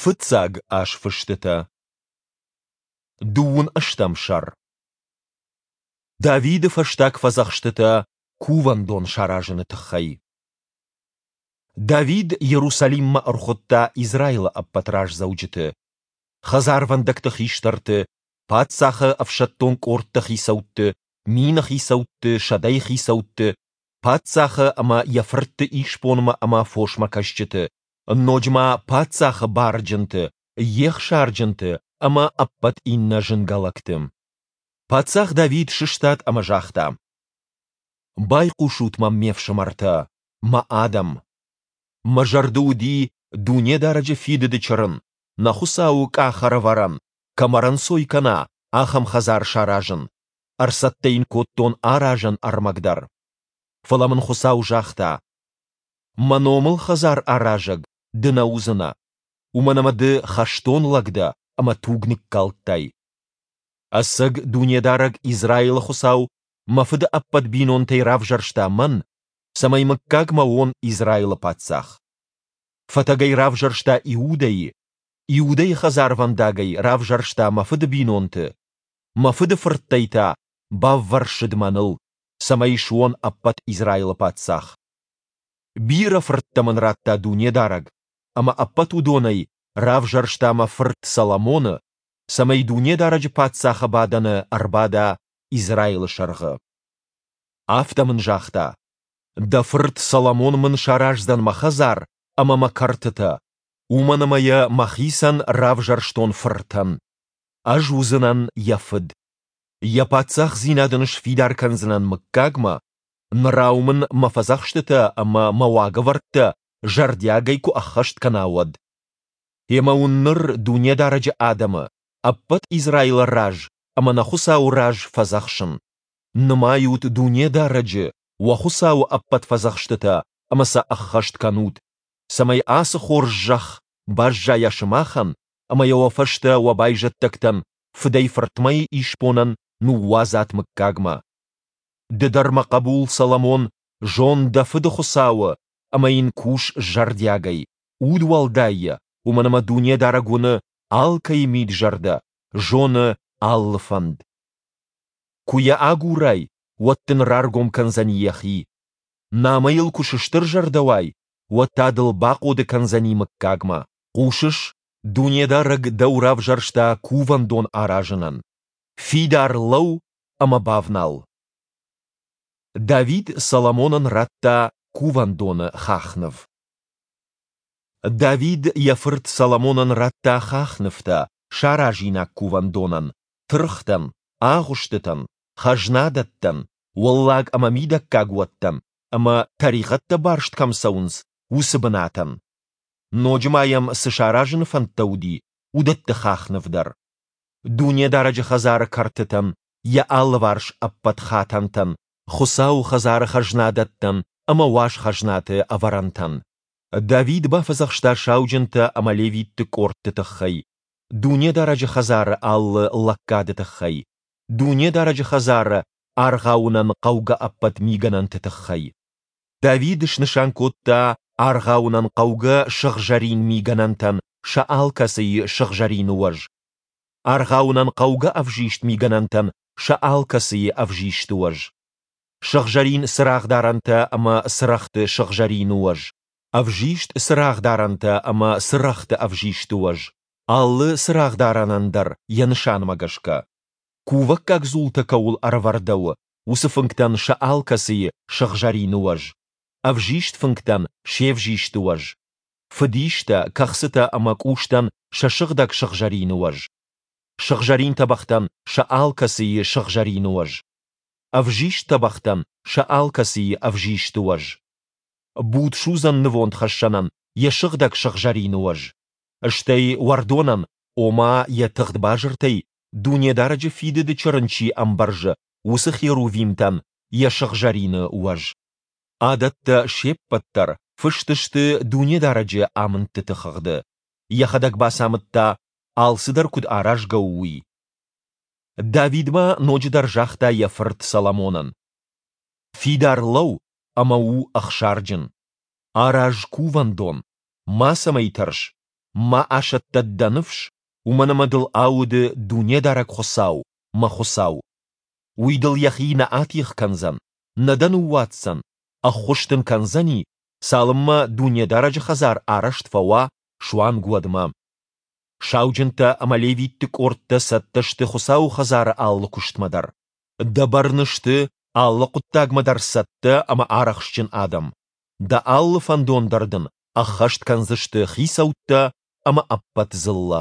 Фыццаг азфыстытӕ. Дыууын ӕстӕм сӕр. Давиды фӕстаг фӕдзӕхстытӕ кувӕндон саразыны тыххӕй. Давид Иерусалиммӕ ӕрхуыдта Израилы ӕппӕт раздзӕуджыты, хӕдзарвӕндӕгты хистӕрты, паддзахы ӕфсӕддон къордты хицӕутты, мины хицӕутты, сӕдӕйы хицӕутты, паддзахы ӕмӕ йӕ фыртты исбонмӕ ӕмӕ фосмӕ кӕсджыты, ноджы ма паддзахы барджынты, йе хсарджынты ӕмӕ ӕппӕт иннӕ зынгӕ лӕгты. Паддзах Давид сыстад ӕмӕ загъта: Байхъусут мӕм, ме фсымӕртӕ, мӕ адӕм! Мӕ зӕрды уыди Дунедарӕджы фидыды чырын, нӕ Хуыцауы къахӕрӕвӕрӕн, кӕм ӕрӕнцой кӕна, ахӕм хӕдзар саразын, ӕрцӕттӕ йын кодтон аразӕн ӕрмӕг дӕр. Фӕлӕ мын Хуыцау загъта: Мӕ номыл хӕдзар аразӕг ды нӕ уыдзынӕ, уымӕн ӕмӕ ды хӕстон лӕг дӕ ӕмӕ туг ныккалдтай. Ӕцӕг Дунедарӕг Израилы Хуыцау мӕ фыды ӕппӕт бинонтӕй равзӕрста мӕн, цӕмӕй мыггагмӕ уон Израилы паддзах. Фӕтӕгӕй равзӕрста Иудӕйы, Иудӕйы хӕдзарвӕндагӕй равзӕрста мӕ фыды бинонты, мӕ фыды фырттӕй та баввӕрсыд мӕныл, цӕмӕй суон ӕппӕт Израилы паддзах. Бирӕ фырттӕ мын радта Дунедарӕг, ӕмӕ ӕппӕт уыдонӕй равзӕрста мӕ фырт Соломоны, цӕмӕй Дунедарӕджы паддзахы бадӕны ӕрбада Израилы сӕргъы. Афтӕ мын загъта: Дӕ фырт Соломон мын сараздзӕн мӕ хӕдзар ӕмӕ мӕ кӕртытӕ, уымӕн ӕмӕ йӕ мӕхицӕн равзӕрстон фыртӕн. Ӕз уыдзынӕн йӕ фыд. Йӕ паддзахдзинад ын сфидар кӕндзынӕн мыггагмӕ, нырау мын мӕ фӕдзӕхстытӕ ӕмӕ мӕ уагӕвӕрдтӕ зӕрдиагӕй куы ӕххӕст кӕна, уӕд. Ӕмӕ уын ныр Дунедарӕджы адӕмы, ӕппӕт Израилы раз ӕмӕ нӕ Хуыцауы раз фӕдзӕхсын: нымайут Дунедарӕджы, уӕ Хуыцауы ӕппӕт фӕдзӕхстытӕ ӕмӕ сӕ ӕххӕст кӕнут, цӕмӕй ацы хорз зӕхх баззайа сымахӕн ӕмӕ йӕ уӕ фӕстӕ уӕ байзӕддӕгтӕн фыдӕй-фыртмӕйы исбонӕн ныууадзат мыггагмӕ. Ды дӕр, мӕ хъӕбул Соломон, зон дӕ фыды Хуыцауы ӕмӕ йын кус зӕрдиагӕй, удуӕлдайӕ, уымӕн ӕмӕ Дунедарӕг уыны алкӕйы мид-зӕрдӕ, зоны алы фӕнд. Куы йӕ агурай, уӕд дын раргом кӕндзӕни йӕхи. Намӕ йыл куы сыстырзӕрдӕ уай, уӕд та дыл бахъоды кӕндзӕни мыггагмӕ. Хъусыс, Дунедарӕг дӕу равзӕрста кувӕндон аразынӕн. Фидар лӕуу ӕмӕ бавнал. Давид Соломонӕн радта кувӕндоны хахныв. Давид йӕ фырт Соломонӕн радта хахнывтӕ саразинаг кувӕндонӕн, тыргътӕн, агъуыстытӕн, хӕзнадӕттӕн, уӕллаг ӕмӕ мидӕггаг уӕттӕн ӕмӕ, тӕригъӕдтӕ барст кӕм цӕуынц, уыцы бынатӕн. Ноджы ма йӕм цы саразыны фӕндтӕ уыди, уыдӕтты хахныв дӕр. Дунедарӕджы хӕдзары кӕртытӕн, йӕ алыварс ӕппӕт хатӕнтӕн, Хуыцауы хӕдзары хӕзнадӕттӕн ӕмӕ уаз хӕзнаты ӕвӕрӕнтӕн. Давид бафӕдзӕхста сауджынтӕ ӕмӕ левитты къордты тыххӕй, Дунедарӕджы хӕдзары алы лӕггады тыххӕй, Дунедарӕджы хӕдзары аргъауынӕн хъӕугӕ ӕппӕт мигӕнӕнты тыххӕй. Давид снысан кодта аргъауынӕн хъӕугӕ сыгъзӕрин мигӕнӕнтӕн сӕ алкӕцыйы сыгъзӕрины уӕз, аргъауынӕн хъӕугӕ ӕвзист мигӕнӕнтӕн сӕ алкӕцыйы ӕвзисты уӕз, сыгъзӕрин цырагъдарӕнтӕ ӕмӕ цырӕгъты сыгъзӕрины уӕз, ӕвзист цырагъдарӕнтӕ ӕмӕ цырӕгъты ӕвзисты уӕз, алы цырагъдарӕнӕн дӕр йӕ нысанмӕ гӕсгӕ. Кувӕггаг дзултӕ кӕуыл ӕрӕвӕрдӕуы, уыцы фынгтӕн сӕ алкӕцыйы сыгъзӕрины уӕз, ӕвзист фынгтӕн се взисты уӕз, фыдистӕ, кӕхцытӕ ӕмӕ къустӕн сӕ сыгъдӕг сыгъзӕрины уӕз, сыгъзӕрин тӕбӕгътӕн сӕ алкӕцыйы сыгъзӕрины уӕз, ӕвзист тӕбӕгътӕн сӕ алкӕцыйы ӕвзисты уӕз, будсудзӕн нывондхӕссӕнӕн йӕ сыгъдӕг сыгъзӕрины уӕз, стӕй уӕрдонӕн, ома йӕ тыгъд базыртӕй Дунедарӕджы фидыды чырын чи ӕмбӕрзы, уыцы херувимтӕн йӕ сыгъзӕрины уӕз. Адӕттӕ се ппӕт дӕр фыст сты Дунедарӕджы амындтыты хыгъды. Йӕхӕдӕг бацамыдта, алцыдӕр куыд аразгӕ у, уый. Давид ма ноджыдӕр загъта йӕ фырт Соломонӕн: Фидар лӕуу ӕмӕ у ӕхсарджын. Араз кувӕндон, мацӕмӕй тӕрс. Ма асӕттӕд дӕ ныфс, уымӕн ӕмӕ дыл ауды Дунедарӕг Хуыцау, мӕ Хуыцау. Уый дыл йӕхи нӕ атигъ кӕндзӕн, нӕ дӕ ныууадздзӕн, ӕххуыс дын кӕндзӕни, цалынмӕ Дунедарӕджы хӕдзар арӕзт фӕуа, суанг уӕдмӕ. Сауджынтӕ ӕмӕ левитты къордтӕ цӕттӕ сты Хуыцауы хӕдзары алы куыстмӕ дӕр. Дӕ бӕрны сты алы хъуыддагмӕ дӕр цӕттӕ ӕмӕ арӕхстджын адӕм. Дӕ алы фӕндон дӕр дын ӕххӕст кӕндзысты хицӕуттӕ ӕмӕ ӕппӕт дзыллӕ.